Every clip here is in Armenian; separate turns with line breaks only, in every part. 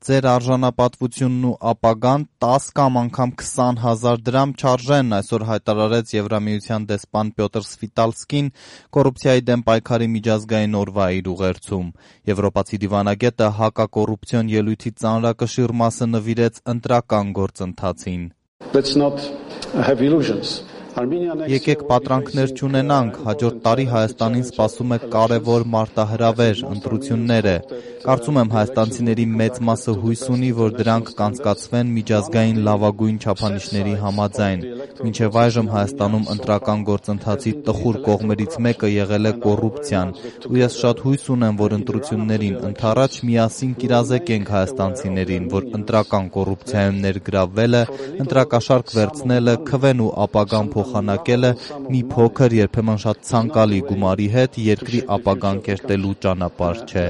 ձեր արժանապատվությունն ու ապագան 10 կամ անգամ 20,000 դրամ չարժեն, այսօր հայտարարեց Եվրամիության դեսպան Պյոտր Սվիտալսկին կոռուպցիայի դեմ պայքարի միջազգային օրվա իր ուղերձում։ Եվրոպացի դիվանագետը հակակոռուպցիոն ելույթի ծանրակշիռ մասը նվիրեց ընտրական գործընթացին։ Եկեք պատրանքներ չունենանք, հաջորդ տարի Հայաստանին սպասում է կարևոր մարտահրավեր, ընտրություններ է։ Կարծում եմ հայաստանցիների մեծ մասը հույս ունի, որ դրանք կանցկացվեն միջազգային լավագույն չափանիշների համաձայն։ Մինչև այժմ Հայաստանում ընտրական գործընթացի տխուր կողմերից մեկը եղել է կոռուպցիան, ու ես շատ հույս ունեմ, որ ընտրություններին ընդառաջ միասին կիրազեկենք հայաստանցիներին, որ ընտրական կոռուպցիայում ներգրավվելը, ընտրակաշառք վերցնելը, քվեն ու ապագան փոխանակելը մի փոքր, երբեմն շատ ցանկալի գումարի հետ երկրի ապագան կերտելու ճանապարհ չէ։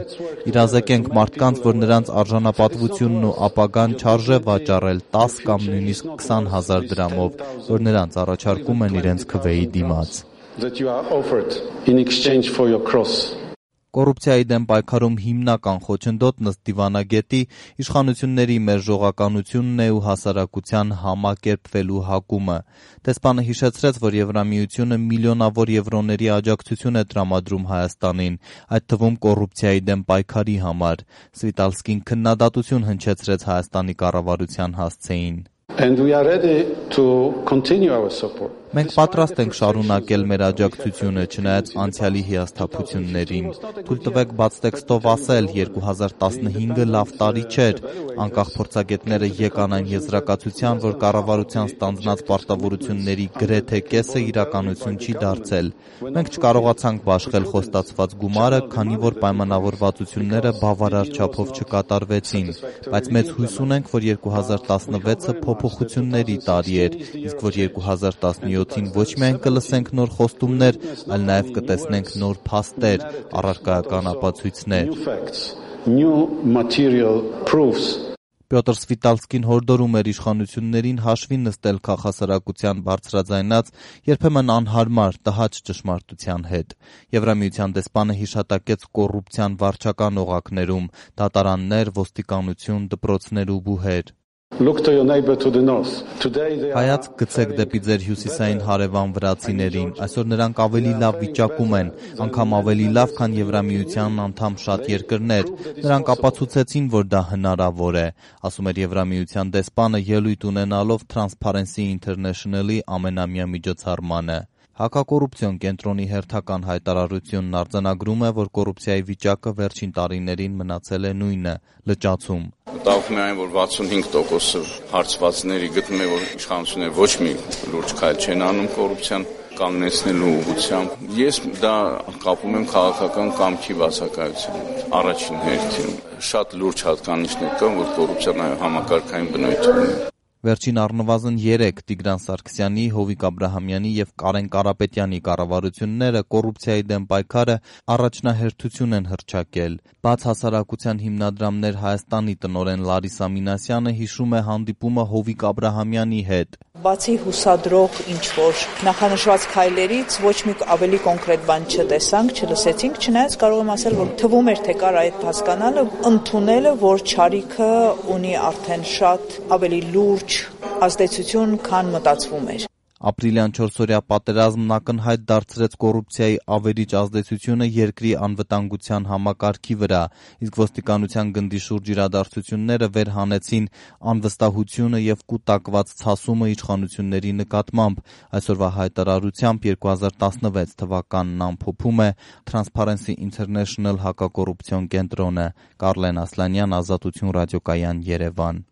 Իրազեկենք մարդկանց, որ նրանց արժանապատվությունն ու ապագան չարժե վաճառել 10 կամ նույնիսկ 20,000 դրամով, որ նրանց առաջարկում են իրենց քվեի դիմաց։ Կոռուպցիայի դեմ պայքարում հիմնական խոչընդոտ ըստ դիվանագետի իշխանությունների մերժողականությունն է ու հասարակության համակերպվելու հակումը։ Դեսպանը հիշեցրեց, որ Եվրամիությունը միլիոնավոր եվրոների աջակցություն է տրամադրում Հայաստանին, այդ թվում կոռուպցիայի դեմ պայքարի համար։ Սվիտալսկին քննադատություն հնչեցրեց Հայաստանի կառավարության հասցեին։ Մենք պատրաստ ենք շարունակել մեր աջակցությունը, չնայած անցյալի հիասթափություններին։ Թույլ տվեք բաց տեքստով ասել, 2015-ը լավ տարի չէր։ Անկախ փորձագետները եկան այն եզրակացության, որ կառավարության ստանձնած պարտավորությունների գրեթե կեսը իրականություն չի դարձել։ Մենք չկարողացանք բաշխել խոստացված գումարը, քանի որ պայմանավորվածությունները բավարար չափով չկատարվեցին, բայց մեծ հույս ունենք, որ 2016-ը փոփոխությունների տարի էր, իսկ որ 2017-ին ոչ միայն կլսենք նոր խոստումներ, այլ նաև կտեսնենք նոր փաստեր, առարկայական ապացույցներ։ Պյոտր Սվիտալսկին հորդորում էր իշխանություններին հաշվի նստել քաղաքասարակության բարձրաձայնած, երբեմն անհարմար, տհաճ ճշմարտության հետ։ Եվրամիության դեսպանը հիշատակեց կոռուպցիան վարչական օղակներում՝ դատարաններ, ոստիկանություն, դպրոցներ ու բուհեր։ Հայացք գցեք դեպի ձեր հյուսիսային հարևան վրացիներին, այսօր նրանք ավելի լավ վիճակում են, անգամ ավելի լավ, քան Եվրամիության անդամ շատ երկրներ։ Նրանք ապացուցեցին, որ դա հնարավոր է, ասում էր Եվրամիության դեսպանը ելույթ ունենալով Transparency International-ի ամենամյա միջոցառմանը։ Հակակոռուպցիոն կենտրոնի հերթական հայտարարությունն արձանագրում է, որ կոռուպցիայի վիճակը վերջին տարիներին մնացել է նույնը՝ լճացում։
Մտահոգում է այն, որ 65% հարցվածների գտնում է, որ իշխանությունները ոչ մի լուրջ քայլ չեն անում կոռուպցիան կանգնեցնելու ուղղությամբ։ Ես դա կապում եմ քաղաքական կամքի բացակայության առաջին հերթին։ Շատ լուրջ հատկանիշներ կան, որ կոռուպցիան համակարգային բնույթ ունի։
Վերջին առնվազն 3 Տիգրան Սարգսյանի, Հովիկ Աբրահամյանի եւ Կարեն Կարապետյանի կառավարությունները կոռուպցիայի դեմ պայքարը առաջնահերթություն են հռչակել։ Բաց հասարակության հիմնադրամներ Հայաստանի տնօրեն Լարիսա Մինասյանը հիշում է հանդիպումը Հովիկ Աբրահամյանի հետ։
Բացի հուսադրող ինչ-որ նախանշված քայլերից ոչ մի ավելի կոնկրետ բան չտեսանք, չլսեցինք, չնայած կարող եմ ասել, որ թվում էր, թե կար այդ հասկանալը, ընդունելը, որ չարիքը ունի արդեն շատ ավելի լուրջ ազդեցություն, քան մտածվում էր։
Ապրիլյան 4-օրյա պատերազմն ակնհայտ դարձրեց կոռուպցիայի ավերիչ ազդեցությունը երկրի անվտանգության համակարգի վրա, իսկ ոստիկանության գնդի շուրջ իրադարձությունները վեր հանեցին անվստահությունը եւ կուտակված ցասումը իշխանությունների նկատմամբ։ Այսօրվա հայտարարությամբ 2016 թվականն ամփոփում է Transparency International հակակոռուպցիոն կենտրոնը։ Կարլեն Ասլանյան, Ազատություն ռադիոկայան, Երևան։